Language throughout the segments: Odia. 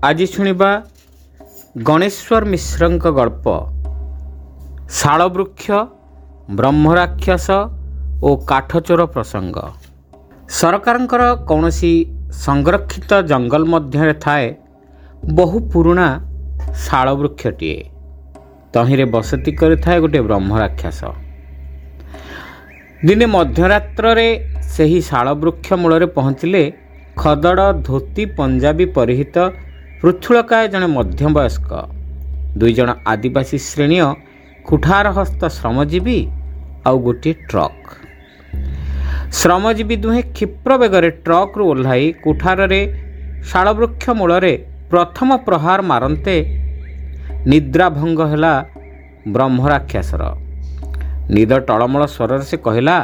ଆଜି ଶୁଣିବା ଗଣେଶ୍ୱର ମିଶ୍ରଙ୍କ ଗଳ୍ପ ଶାଳବୃକ୍ଷ, ବ୍ରହ୍ମରାକ୍ଷସ ଓ କାଠଚୋର ପ୍ରସଙ୍ଗ। ସରକାରଙ୍କର କୌଣସି ସଂରକ୍ଷିତ ଜଙ୍ଗଲ ମଧ୍ୟରେ ଥାଏ ବହୁ ପୁରୁଣା ଶାଳବୃକ୍ଷଟିଏ। ତହିଁରେ ବସତି କରିଥାଏ ଗୋଟିଏ ବ୍ରହ୍ମରାକ୍ଷସ। ଦିନେ ମଧ୍ୟରାତ୍ରରେ ସେହି ଶାଳବୃକ୍ଷ ମୂଳରେ ପହଞ୍ଚିଲେ ଖଦଡ଼ ଧୋତି ପଞ୍ଜାବୀ ପରିହିତ ପୃଥୁଳକାୟ ଜଣେ ମଧ୍ୟବୟସ୍କ, ଦୁଇଜଣ ଆଦିବାସୀ ଶ୍ରେଣୀୟ କୁଠାରହସ୍ତ ଶ୍ରମଜୀବୀ ଆଉ ଗୋଟିଏ ଟ୍ରକ୍। ଶ୍ରମଜୀବୀ ଦୁହେଁ କ୍ଷିପ୍ର ବେଗରେ ଟ୍ରକ୍ରୁ ଓହ୍ଲାଇ କୁଠାରରେ ଶାଳବୃକ୍ଷ ମୂଳରେ ପ୍ରଥମ ପ୍ରହାର ମାରନ୍ତେ ନିଦ୍ରାଭଙ୍ଗ ହେଲା ବ୍ରହ୍ମରାକ୍ଷସର। ନିଦ ଟଳମଳ ସ୍ୱରରେ ସେ କହିଲା,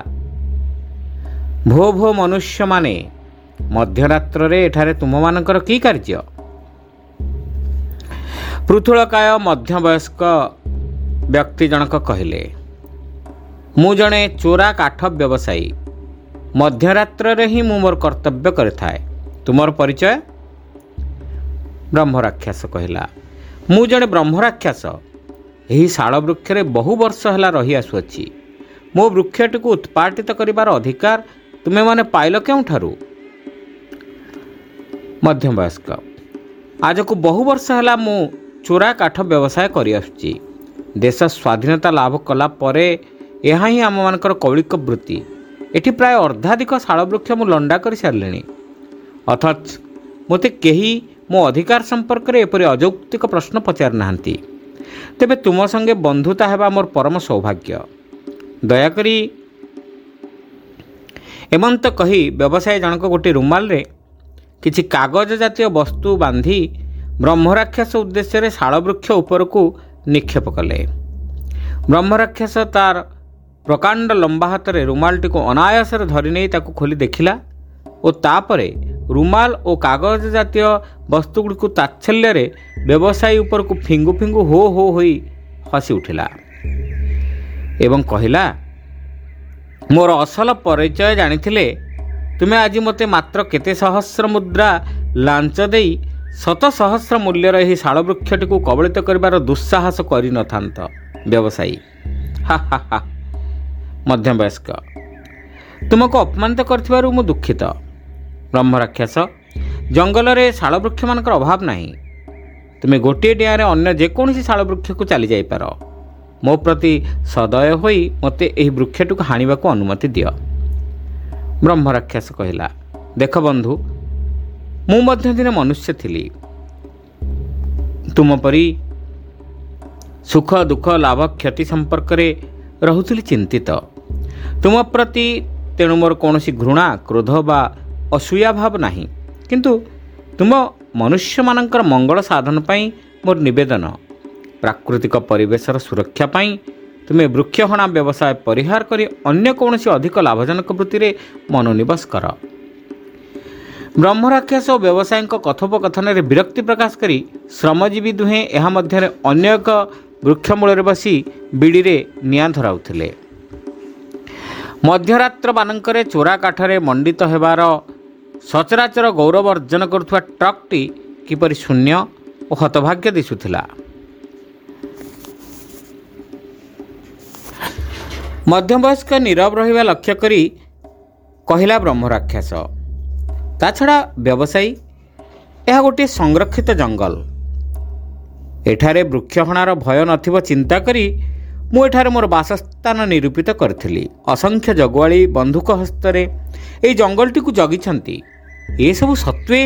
ଭୋ ଭୋ ମନୁଷ୍ୟମାନେ, ମଧ୍ୟରାତ୍ରରେ ଏଠାରେ ତୁମମାନଙ୍କର କି କାର୍ଯ୍ୟ? ପୃଥୁଳକାୟ ମଧ୍ୟବୟସ୍କ ବ୍ୟକ୍ତି ଜଣକ କହିଲେ, ମୁଁ ଜଣେ ଚୋରା କାଠ ବ୍ୟବସାୟୀ। ମଧ୍ୟରାତ୍ରରେ ହିଁ ମୁଁ ମୋର କର୍ତ୍ତବ୍ୟ କରିଥାଏ। ତୁମର ପରିଚୟ? ବ୍ରହ୍ମରାକ୍ଷସ କହିଲା, ମୁଁ ଜଣେ ବ୍ରହ୍ମରାକ୍ଷସ। ଏହି ଶାଳ ବୃକ୍ଷରେ ବହୁ ବର୍ଷ ହେଲା ରହି ଆସୁଅଛି। ମୋ ବୃକ୍ଷଟିକୁ ଉତ୍ପାଟିତ କରିବାର ଅଧିକାର ତୁମେମାନେ ପାଇଲ କେଉଁଠାରୁ? ମଧ୍ୟବୟସ୍କ, ଆଜକୁ ବହୁ ବର୍ଷ ହେଲା ମୁଁ ଚୋରା କାଠ ବ୍ୟବସାୟ କରିଆସୁଛି। ଦେଶ ସ୍ୱାଧୀନତା ଲାଭ କଲା ପରେ ଏହା ହିଁ ଆମମାନଙ୍କର କୌଳିକ ବୃତ୍ତି। ଏଠି ପ୍ରାୟ ଅର୍ଦ୍ଧାଧିକ ଶାଳବୃକ୍ଷ ମୁଁ ଲଣ୍ଡା କରିସାରିଲିଣି, ଅଥଚ ମୋତେ କେହି ମୋ ଅଧିକାର ସମ୍ପର୍କରେ ଏପରି ଅଯୌକ୍ତିକ ପ୍ରଶ୍ନ ପଚାରିନାହାନ୍ତି। ତେବେ ତୁମ ସଙ୍ଗେ ବନ୍ଧୁତା ହେବା ମୋର ପରମ ସୌଭାଗ୍ୟ। ଦୟାକରି। ଏମନ୍ତ କହି ବ୍ୟବସାୟୀ ଜଣକ ଗୋଟିଏ ରୁମାଲରେ କିଛି କାଗଜ ଜାତୀୟ ବସ୍ତୁ ବାନ୍ଧି ବ୍ରହ୍ମରାକ୍ଷସ ଉଦ୍ଦେଶ୍ୟରେ ଶାଳବୃକ୍ଷ ଉପରକୁ ନିକ୍ଷେପ କଲେ। ବ୍ରହ୍ମରାକ୍ଷସ ତାର ପ୍ରକାଣ୍ଡ ଲମ୍ବା ହାତରେ ରୁମାଲଟିକୁ ଅନାୟାସରେ ଧରିନେଇ ତାକୁ ଖୋଲି ଦେଖିଲା ଓ ତାପରେ ରୁମାଲ ଓ କାଗଜ ଜାତୀୟ ବସ୍ତୁଗୁଡ଼ିକୁ ତାଚ୍ଛଲ୍ୟରେ ବ୍ୟବସାୟୀ ଉପରକୁ ଫିଙ୍ଗୁ ଫିଙ୍ଗୁ ହୋ ହୋ ହୋଇ ହସି ଉଠିଲା ଏବଂ କହିଲା, ମୋର ଅସଲ ପରିଚୟ ଜାଣିଥିଲେ ତୁମେ ଆଜି ମୋତେ ମାତ୍ର କେତେ ସହସ୍ର ମୁଦ୍ରା ଲାଞ୍ଚ ଦେଇ ଶତ ସହସ୍ର ମୂଲ୍ୟର ଏହି ଶାଳବୃକ୍ଷଟିକୁ କବଳିତ କରିବାର ଦୁଃସାହସ କରିନଥାନ୍ତ। ବ୍ୟବସାୟୀ, ହା ହା ହା। ମଧ୍ୟବୟସ୍କ, ତୁମକୁ ଅପମାନିତ କରିଥିବାରୁ ମୁଁ ଦୁଃଖିତ। ବ୍ରହ୍ମରାକ୍ଷସ, ଜଙ୍ଗଲରେ ଶାଳବୃକ୍ଷମାନଙ୍କର ଅଭାବ ନାହିଁ। ତୁମେ ଗୋଟିଏ ଡିଆଁରେ ଅନ୍ୟ ଯେକୌଣସି ଶାଳବୃକ୍ଷକୁ ଚାଲିଯାଇପାର। ମୋ ପ୍ରତି ସଦୟ ହୋଇ ମୋତେ ଏହି ବୃକ୍ଷଟିକୁ ହାଣିବାକୁ ଅନୁମତି ଦିଅ। ବ୍ରହ୍ମରାକ୍ଷସ କହିଲା, ଦେଖ ବନ୍ଧୁ, ମୁଁ ମଧ୍ୟ ଦିନେ ମନୁଷ୍ୟ ଥିଲି। ତୁମ ପରି ସୁଖ ଦୁଃଖ ଲାଭ କ୍ଷତି ସମ୍ପର୍କରେ ରହୁଥିଲି ଚିନ୍ତିତ। ତୁମ ପ୍ରତି ତେଣୁ ମୋର କୌଣସି ଘୃଣା, କ୍ରୋଧ ବା ଅସୂୟା ଭାବ ନାହିଁ। କିନ୍ତୁ ତୁମ ମନୁଷ୍ୟମାନଙ୍କର ମଙ୍ଗଳ ସାଧନ ପାଇଁ ମୋର ନିବେଦନ, ପ୍ରାକୃତିକ ପରିବେଶର ସୁରକ୍ଷା ପାଇଁ ତୁମେ ବୃକ୍ଷହଣା ବ୍ୟବସାୟ ପରିହାର କରି ଅନ୍ୟ କୌଣସି ଅଧିକ ଲାଭଜନକ ବୃତ୍ତିରେ ମନୋନିବେଶ କର। ବ୍ରହ୍ମରାକ୍ଷସ ଓ ବ୍ୟବସାୟୀଙ୍କ କଥୋପକଥନରେ ବିରକ୍ତି ପ୍ରକାଶ କରି ଶ୍ରମଜୀବୀ ଦୁହେଁ ଏହା ମଧ୍ୟରେ ଅନ୍ୟ ଏକ ବୃକ୍ଷମୂଳରେ ବସି ବିଡ଼ିରେ ନିଆଁ ଧରାଉଥିଲେ। ମଧ୍ୟରାତ୍ରମାନଙ୍କରେ ଚୋରା କାଠରେ ମଣ୍ଡିତ ହେବାର ସଚରାଚର ଗୌରବ ଅର୍ଜନ କରୁଥିବା ଟ୍ରକ୍ଟି କିପରି ଶୂନ୍ୟ ଓ ହତଭାଗ୍ୟ ଦିଶୁଥିଲା। ମଧ୍ୟବୟସ୍କ ନୀରବ ରହିବା ଲକ୍ଷ୍ୟ କରି କହିଲା ବ୍ରହ୍ମରାକ୍ଷସ, ତା ଛଡ଼ା ବ୍ୟବସାୟୀ, ଏହା ଗୋଟିଏ ସଂରକ୍ଷିତ ଜଙ୍ଗଲ। ଏଠାରେ ବୃକ୍ଷହଣାର ଭୟ ନଥିବ ଚିନ୍ତା କରି ମୁଁ ଏଠାରେ ମୋର ବାସସ୍ଥାନ ନିରୂପିତ କରିଥିଲି। ଅସଂଖ୍ୟ ଜଗୁଆଳି ବନ୍ଧୁକ ହସ୍ତରେ ଏହି ଜଙ୍ଗଲଟିକୁ ଜଗିଛନ୍ତି। ଏସବୁ ସତ୍ତ୍ୱେ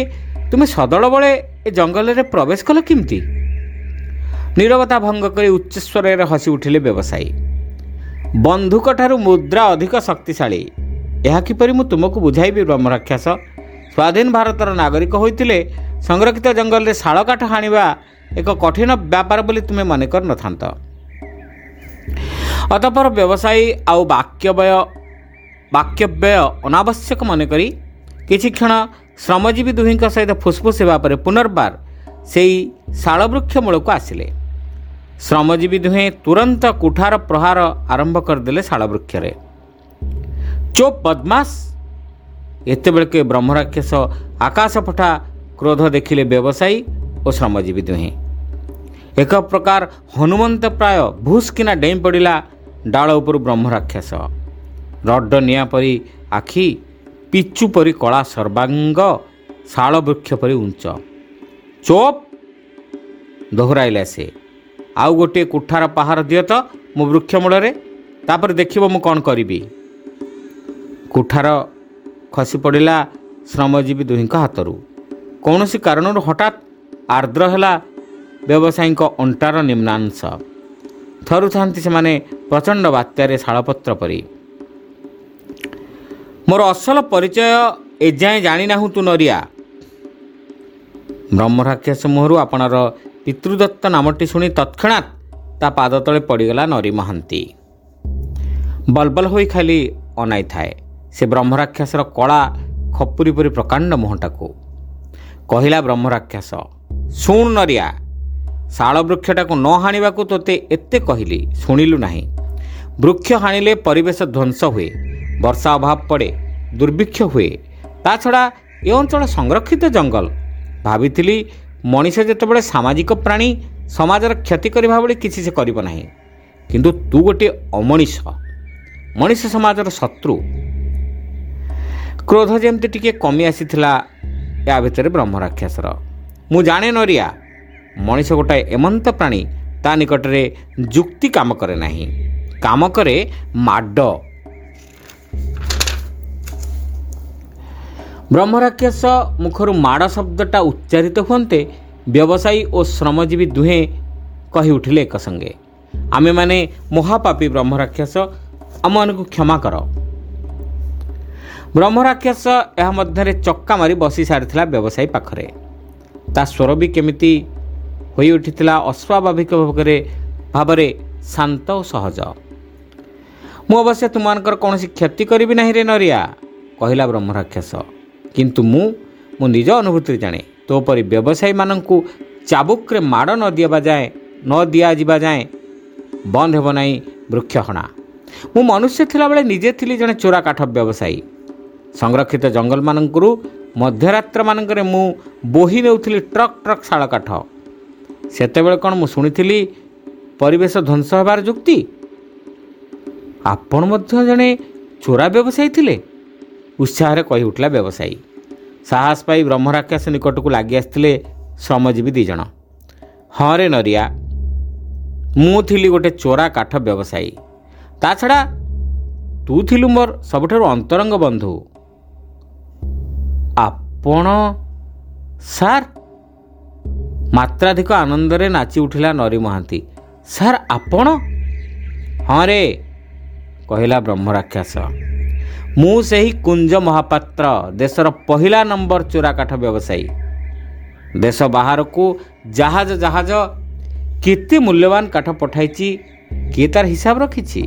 ତୁମେ ସଦଳ ବଳେ ଏ ଜଙ୍ଗଲରେ ପ୍ରବେଶ କଲ କେମିତି? ନୀରବତା ଭଙ୍ଗ କରି ଉଚ୍ଚସ୍ୱରରେ ହସି ଉଠିଲେ ବ୍ୟବସାୟୀ। ବନ୍ଧୁକଠାରୁ ମୁଦ୍ରା ଅଧିକ ଶକ୍ତିଶାଳୀ, ଏହା କିପରି ମୁଁ ତୁମକୁ ବୁଝାଇବି ବ୍ରହ୍ମରାକ୍ଷସ? ସ୍ୱାଧୀନ ଭାରତର ନାଗରିକ ହୋଇଥିଲେ ସଂରକ୍ଷିତ ଜଙ୍ଗଲରେ ଶାଳକାଠ ହାଣିବା ଏକ କଠିନ ବ୍ୟାପାର ବୋଲି ତୁମେ ମନେ କରିନଥାନ୍ତ। ଅତଃପର ବ୍ୟବସାୟୀ ଆଉ ବାକ୍ୟବ୍ୟୟ ଅନାବଶ୍ୟକ ମନେକରି କିଛି କ୍ଷଣ ଶ୍ରମଜୀବୀ ଦୁହିଁଙ୍କ ସହିତ ଫୁସଫୁସ ହେବା ପରେ ପୁନର୍ବାର ସେଇ ଶାଳବୃକ୍ଷ ମୂଳକୁ ଆସିଲେ। ଶ୍ରମଜୀବୀ ଦୁହେଁ ତୁରନ୍ତ କୁଠାର ପ୍ରହାର ଆରମ୍ଭ କରିଦେଲେ ଶାଳବୃକ୍ଷରେ। ଚୋପ ବଦମାସ! ଏତେବେଳକେ ବ୍ରହ୍ମରାକ୍ଷସ ଆକାଶ ଫଟା କ୍ରୋଧ ଦେଖିଲେ ବ୍ୟବସାୟୀ ଓ ଶ୍ରମଜୀବୀ ଦୁହେଁ। ଏକ ପ୍ରକାର ହନୁମନ୍ତ ପ୍ରାୟ ଭୁସ୍କିନା ଡେଇଁ ପଡ଼ିଲା ଡାଳ ଉପରୁ ବ୍ରହ୍ମରାକ୍ଷସ। ରଡ଼ ନିଆଁ ପରି ଆଖି, ପିଚୁ ପରି କଳା ସର୍ବାଙ୍ଗ, ଶାଳ ବୃକ୍ଷ ପରି ଉଞ୍ଚ। ଚୋପ୍, ଦୋହରାଇଲା ସେ। ଆଉ ଗୋଟିଏ କୁଠାର ପାହାର ଦିଅ ତ ମୋ ବୃକ୍ଷ ମୂଳରେ, ତାପରେ ଦେଖିବ ମୁଁ କ'ଣ କରିବି। କୁଠାର ଖସି ପଡ଼ିଲା ଶ୍ରମଜୀବୀ ଦୁହିଁଙ୍କ ହାତରୁ। କୌଣସି କାରଣରୁ ହଠାତ୍ ଆର୍ଦ୍ର ହେଲା ବ୍ୟବସାୟୀଙ୍କ ଅଣ୍ଟାର ନିମ୍ନାଂଶ। ଥରୁଥାନ୍ତି ସେମାନେ ପ୍ରଚଣ୍ଡ ବାତ୍ୟାରେ ଶାଳପତ୍ର ପରି। ମୋର ଅସଲ ପରିଚୟ ଏଯାଏଁ ଜାଣିନାହୁଁ ତୁ ନରିଆ। ବ୍ରହ୍ମରାକ୍ଷସ ମୁହଁରୁ ଆପଣର ପିତୃଦତ୍ତ ନାମଟି ଶୁଣି ତତ୍କ୍ଷଣାତ୍ ତା ପାଦ ତଳେ ପଡ଼ିଗଲା ନରୀ ମହାନ୍ତି। ବଲବଲ ହୋଇ ଖାଲି ଅନାଇଥାଏ ସେ ବ୍ରହ୍ମରାକ୍ଷସର କଳା ଖପୁରୀ ପରି ପ୍ରକାଣ୍ଡ ମୁହଁଟାକୁ। କହିଲା ବ୍ରହ୍ମରାକ୍ଷସ, ଶୁଣ ନରିଆ, ଶାଳ ବୃକ୍ଷଟାକୁ ନ ହାଣିବାକୁ ତୋତେ ଏତେ କହିଲି, ଶୁଣିଲୁ ନାହିଁ। ବୃକ୍ଷ ହାଣିଲେ ପରିବେଶ ଧ୍ୱଂସ ହୁଏ, ବର୍ଷା ଅଭାବ ପଡ଼େ, ଦୁର୍ଭିକ୍ଷ ହୁଏ। ତା ଛଡ଼ା ଏ ଅଞ୍ଚଳ ସଂରକ୍ଷିତ ଜଙ୍ଗଲ। ଭାବିଥିଲି ମଣିଷ ଯେତେବେଳେ ସାମାଜିକ ପ୍ରାଣୀ, ସମାଜର କ୍ଷତି କରିବା ଭଳି କିଛି ସେ କରିବ ନାହିଁ। କିନ୍ତୁ ତୁ ଗୋଟିଏ ଅମଣିଷ, ମଣିଷ ସମାଜର ଶତ୍ରୁ। କ୍ରୋଧ ଯେମିତି ଟିକିଏ କମି ଆସିଥିଲା ୟା ଭିତରେ ବ୍ରହ୍ମରାକ୍ଷସର। ମୁଁ ଜାଣେ ନରିଆ, ମଣିଷ ଗୋଟାଏ ଏମନ୍ତ ପ୍ରାଣୀ, ତା ନିକଟରେ ଯୁକ୍ତି କାମ କରେ ନାହିଁ, କାମ କରେ ମାଡ଼। ବ୍ରହ୍ମରାକ୍ଷସ ମୁଖରୁ ମାଡ଼ ଶବ୍ଦଟା ଉଚ୍ଚାରିତ ହୁଅନ୍ତେ ବ୍ୟବସାୟୀ ଓ ଶ୍ରମଜୀବୀ ଦୁହେଁ କହି ଉଠିଲେ ଏକ ସଙ୍ଗେ, ଆମେମାନେ ମହାପାପୀ ବ୍ରହ୍ମରାକ୍ଷସ, ଆମମାନଙ୍କୁ କ୍ଷମା କର। ବ୍ରହ୍ମରାକ୍ଷସ ଏହା ମଧ୍ୟରେ ଚକ୍କା ମାରି ବସି ସାରିଥିଲା ବ୍ୟବସାୟୀ ପାଖରେ। ତା ସ୍ୱର ବି କେମିତି ହୋଇଉଠିଥିଲା ଅସ୍ୱାଭାବିକ ଭାବରେ ଶାନ୍ତ ଓ ସହଜ। ମୁଁ ଅବଶ୍ୟ ତୁମମାନଙ୍କର କୌଣସି କ୍ଷତି କରିବି ନାହିଁ ରେ ନରିଆ, କହିଲା ବ୍ରହ୍ମରାକ୍ଷସ। କିନ୍ତୁ ମୁଁ ମୋ ନିଜ ଅନୁଭୂତିରେ ଜାଣେ, ତୋ ପରି ବ୍ୟବସାୟୀମାନଙ୍କୁ ଚାବୁକରେ ମାଡ଼ ନ ଦିଆଯିବା ଯାଏଁ ବନ୍ଦ ହେବ ନାହିଁ ବୃକ୍ଷ ହଣା। ମୁଁ ମନୁଷ୍ୟ ଥିଲାବେଳେ ନିଜେ ଥିଲି ଜଣେ ଚୋରା କାଠ ବ୍ୟବସାୟୀ। ସଂରକ୍ଷିତ ଜଙ୍ଗଲମାନଙ୍କରୁ ମଧ୍ୟରାତ୍ରମାନଙ୍କରେ ମୁଁ ବୋହି ନେଉଥିଲି ଟ୍ରକ୍ ଟ୍ରକ୍ ଶାଳ କାଠ। ସେତେବେଳେ କ'ଣ ମୁଁ ଶୁଣିଥିଲି ପରିବେଶ ଧ୍ୱଂସ ହେବାର ଯୁକ୍ତି? ଆପଣ ମଧ୍ୟ ଜଣେ ଚୋରା ବ୍ୟବସାୟୀ ଥିଲେ, ଉତ୍ସାହରେ କହି ଉଠିଲା ବ୍ୟବସାୟୀ। ସାହସ ପାଇ ବ୍ରହ୍ମରାକ୍ଷସ ନିକଟକୁ ଲାଗି ଆସିଥିଲେ ଶ୍ରମଜୀବୀ ଦୁଇ ଜଣ। ହଁ ରେ ନରିଆ, ମୁଁ ଥିଲି ଗୋଟେ ଚୋରା କାଠ ବ୍ୟବସାୟୀ। ତା ଛଡ଼ା ତୁ ଥିଲୁ ମୋର ସବୁଠାରୁ ଅନ୍ତରଙ୍ଗ ବନ୍ଧୁ। ଆପଣ ସାର୍? ମାତ୍ରାଧିକ ଆନନ୍ଦରେ ନାଚି ଉଠିଲା ନରୀ ମହାନ୍ତି। ସାର୍ ଆପଣ? ହଁ ରେ, କହିଲା ବ୍ରହ୍ମରାକ୍ଷସ। ମୁଁ ସେହି କୁଞ୍ଜ ମହାପାତ୍ର, ଦେଶର ପହିଲା ନମ୍ବର ଚୋରା କାଠ ବ୍ୟବସାୟୀ। ଦେଶ ବାହାରକୁ ଜାହାଜ ଜାହାଜ କେତେ ମୂଲ୍ୟବାନ କାଠ ପଠାଇଛି, କିଏ ତାର ହିସାବ ରଖିଛି?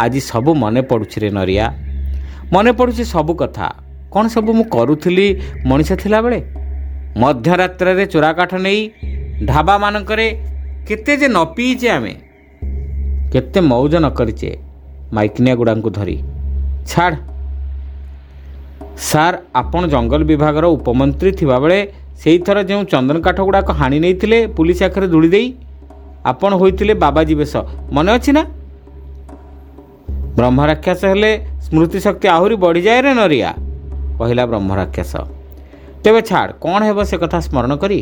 ଆଜି ସବୁ ମନେ ପଡ଼ୁଛି ରେ ନରିଆ, ମନେ ପଡ଼ୁଛି ସବୁ କଥା। କ'ଣ ସବୁ ମୁଁ କରୁଥିଲି ମଣିଷ ଥିଲାବେଳେ? ମଧ୍ୟରାତ୍ରରେ ଚୋରା କାଠ ନେଇ ଢାବାମାନଙ୍କରେ କେତେ ଯେ ନ ପିଇଛେ ଆମେ, କେତେ ମଉଜ ନ କରିଛେ ମାଇକିନିଆ ଗୁଡ଼ାଙ୍କୁ ଧରି। ଛାଡ଼ ସାର୍, ଆପଣ ଜଙ୍ଗଲ ବିଭାଗର ଉପମନ୍ତ୍ରୀ ଥିବାବେଳେ ସେଇଥର ଯେଉଁ ଚନ୍ଦନ କାଠ ଗୁଡ଼ାକ ହାଣି ନେଇଥିଲେ ପୁଲିସ ଆଖରେ ଧୂଳି ଦେଇ, ଆପଣ ହୋଇଥିଲେ ବାବାଜୀ ବେଶ, ମନେ ଅଛି ନା? ବ୍ରହ୍ମରାକ୍ଷସ ହେଲେ ସ୍ମୃତିଶକ୍ତି ଆହୁରି ବଢ଼ିଯାଏ ରେ ନରିଆ, କହିଲା ବ୍ରହ୍ମରାକ୍ଷସ। ତେବେ ଛାଡ଼, କ'ଣ ହେବ ସେ କଥା ସ୍ମରଣ କରି।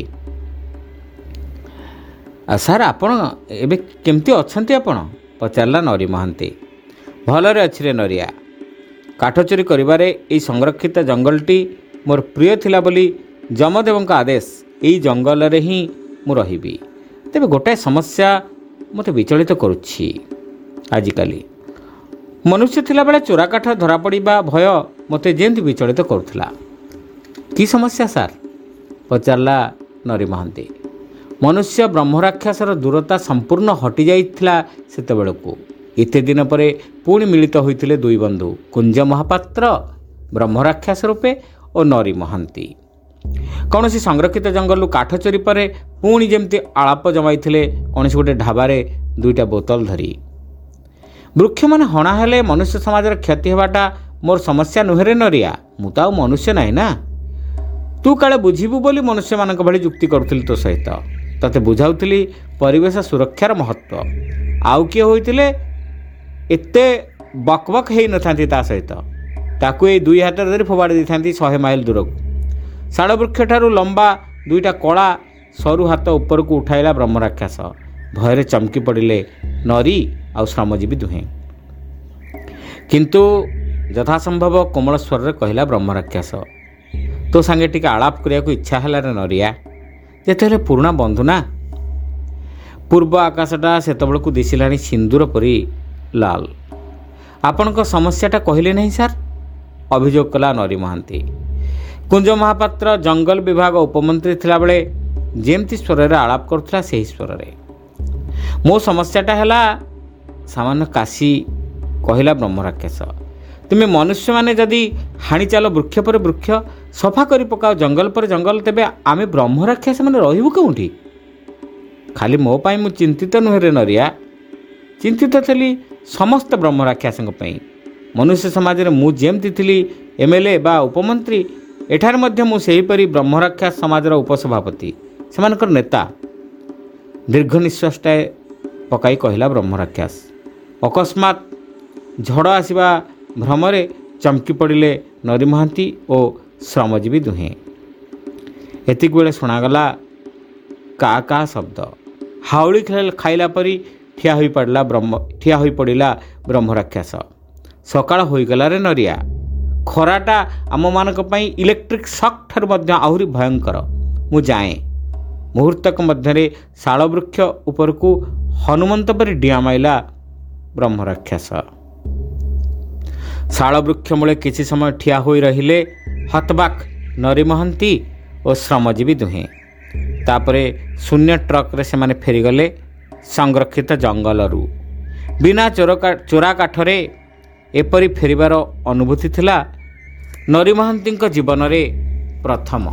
ସାର୍ ଆପଣ ଏବେ କେମିତି ଅଛନ୍ତି ଆପଣ? ପଚାରିଲା ନରୀ ମହାନ୍ତି। ଭଲରେ ଅଛି ରେ ନରିଆ। କାଠ ଚୋରି କରିବାରେ ଏଇ ସଂରକ୍ଷିତ ଜଙ୍ଗଲଟି ମୋର ପ୍ରିୟ ଥିଲା ବୋଲି ଯମଦେବଙ୍କ ଆଦେଶ, ଏଇ ଜଙ୍ଗଲରେ ହିଁ ମୁଁ ରହିବି। ତେବେ ଗୋଟାଏ ସମସ୍ୟା ମୋତେ ବିଚଳିତ କରୁଛି ଆଜିକାଲି। ମନୁଷ୍ୟ ଥିଲାବେଳେ ଚୋରା କାଠ ଧରାପଡ଼ିବା ଭୟ ମୋତେ ଯେମିତି ବିଚଳିତ କରୁଥିଲା। କି ସମସ୍ୟା ସାର୍? ପଚାରିଲା ନରୀ ମହାନ୍ତି। ମନୁଷ୍ୟ ବ୍ରହ୍ମରାକ୍ଷସର ଦୂରତା ସମ୍ପୂର୍ଣ୍ଣ ହଟିଯାଇଥିଲା ସେତେବେଳକୁ। ଏତେ ଦିନ ପରେ ପୁଣି ମିଳିତ ହୋଇଥିଲେ ଦୁଇ ବନ୍ଧୁ, କୁଞ୍ଜ ମହାପାତ୍ର ବ୍ରହ୍ମରାକ୍ଷସ ରୂପେ ଓ ନରୀ ମହାନ୍ତି। କୌଣସି ସଂରକ୍ଷିତ ଜଙ୍ଗଲରୁ କାଠ ଚୋରି ପରେ ପୁଣି ଯେମିତି ଆଳାପ ଜମାଇଥିଲେ କୌଣସି ଗୋଟେ ଢାବାରେ ଦୁଇଟା ବୋତଲ ଧରି। ବୃକ୍ଷମାନେ ହଣା ହେଲେ ମନୁଷ୍ୟ ସମାଜର କ୍ଷତି ହେବାଟା ମୋର ସମସ୍ୟା ନୁହେଁରେ ନରିଆ, ମୁଁ ତ ଆଉ ମନୁଷ୍ୟ ନାହିଁ ନା। ତୁ କାଳେ ବୁଝିବୁ ବୋଲି ମନୁଷ୍ୟମାନଙ୍କ ଭଳି ଯୁକ୍ତି କରୁଥିଲି ତୋ ସହିତ। ତତେ ବୁଝାଉଥିଲି ପରିବେଶ ସୁରକ୍ଷାର ମହତ୍ତ୍ୱ। ଆଉ କିଏ ହୋଇଥିଲେ ଏତେ ବକବକ ହେଇନଥାନ୍ତି ତା ସହିତ। ତାକୁ ଏଇ ଦୁଇ ହାତରେ ଧରି ଫୋପାଡ଼ି ଦେଇଥାନ୍ତି 100 ମାଇଲ ଦୂରକୁ। ଶାଳବୃକ୍ଷଠାରୁ ଲମ୍ବା ଦୁଇଟା କଳା ସରୁ ହାତ ଉପରକୁ ଉଠାଇଲା ବ୍ରହ୍ମରାକ୍ଷସ। ଭୟରେ ଚମକି ପଡ଼ିଲେ ନରୀ ଆଉ ଶ୍ରମଜୀବୀ ଦୁହେଁ। କିନ୍ତୁ ଯଥାସମ୍ଭବ କୋମଳ ସ୍ୱରରେ କହିଲା ବ୍ରହ୍ମରାକ୍ଷସ, ତୋ ସାଙ୍ଗେ ଟିକେ ଆଳାପ କରିବାକୁ ଇଚ୍ଛା ହେଲା ରେ ନରିଆ, ଯେତେହେଲେ ପୁରୁଣା ବନ୍ଧୁ ନା। ପୂର୍ବ ଆକାଶଟା ସେତେବେଳକୁ ଦିଶିଲାଣି ସିନ୍ଦୁର ପରି ଲାଲ। ଆପଣଙ୍କ ସମସ୍ୟାଟା କହିଲେ ନାହିଁ ସାର୍, ଅଭିଯୋଗ କଲା ନରୀ ମହାନ୍ତି। କୁଞ୍ଜ ମହାପାତ୍ର ଜଙ୍ଗଲ ବିଭାଗ ଉପମନ୍ତ୍ରୀ ଥିଲାବେଳେ ଯେମିତି ସ୍ୱରରେ ଆଳାପ କରୁଥିଲା ସେହି ସ୍ୱରରେ। ମୋ ସମସ୍ୟାଟା ହେଲା, ସାମାନ୍ୟ କାଶି କହିଲା ବ୍ରହ୍ମରାକ୍ଷସ, ତୁମେ ମନୁଷ୍ୟମାନେ ଯଦି ହାଣି ଚାଲ ବୃକ୍ଷ ପରେ ବୃକ୍ଷ, ସଫା କରି ପକାଅ ଜଙ୍ଗଲ ପରେ ଜଙ୍ଗଲ, ତେବେ ଆମେ ବ୍ରହ୍ମରାକ୍ଷସମାନେ ରହିବୁ କେଉଁଠି? ଖାଲି ମୋ ପାଇଁ ମୁଁ ଚିନ୍ତିତ ନୁହେଁ ରେ ନରିଆ, ଚିନ୍ତିତ ଥିଲି ସମସ୍ତ ବ୍ରହ୍ମରାକ୍ଷସଙ୍କ ପାଇଁ। ମନୁଷ୍ୟ ସମାଜରେ ମୁଁ ଯେମିତି ଥିଲି MLA ବା ଉପମନ୍ତ୍ରୀ, ଏଠାରେ ମଧ୍ୟ ମୁଁ ସେହିପରି ବ୍ରହ୍ମରାକ୍ଷସ ସମାଜର ଉପସଭାପତି, ସେମାନଙ୍କର ନେତା। ଦୀର୍ଘ ନିଶ୍ୱାସଟାଏ ପକାଇ କହିଲା ବ୍ରହ୍ମରାକ୍ଷସ। ଅକସ୍ମାତ୍ ଝଡ଼ ଆସିବା ଭ୍ରମରେ ଚମକି ପଡ଼ିଲେ ନରୀ ମହାନ୍ତି ଓ ଶ୍ରମଜୀବୀ ଦୁହେଁ। ଏତିକି ବେଳେ ଶୁଣାଗଲା କା କା ଶବ୍ଦ। ହାଉଳି ଖାଇଲା ପରି ଠିଆ ହୋଇପଡ଼ିଲା ବ୍ରହ୍ମରାକ୍ଷସ। ସକାଳ ହୋଇଗଲାରେ ନରିଆ। ଖରାଟା ଆମମାନଙ୍କ ପାଇଁ ଇଲେକ୍ଟ୍ରିକ୍ ସକ୍ ଠାରୁ ମଧ୍ୟ ଆହୁରି ଭୟଙ୍କର। ମୁଁ ଯାଏଁ। ମୁହୂର୍ତ୍ତକ ମଧ୍ୟରେ ଶାଳବୃକ୍ଷ ଉପରକୁ ହନୁମନ୍ତ ପରି ଡିଆଁ ମାଇଲା ବ୍ରହ୍ମରାକ୍ଷସ। ଶାଳବୃକ୍ଷ ମୂଳେ କିଛି ସମୟ ଠିଆ ହୋଇ ରହିଲେ ହତବାକ୍ ନରୀ ମହାନ୍ତି ଓ ଶ୍ରମଜୀବୀ ଦୁହେଁ। ତାପରେ ଶୂନ୍ୟ ଟ୍ରକ୍ରେ ସେମାନେ ଫେରିଗଲେ ସଂରକ୍ଷିତ ଜଙ୍ଗଲରୁ। ବିନା ଚୋରା କାଠରେ ଏପରି ଫେରିବାର ଅନୁଭୂତି ଥିଲା ନରୀ ମହାନ୍ତିଙ୍କ ଜୀବନରେ ପ୍ରଥମ।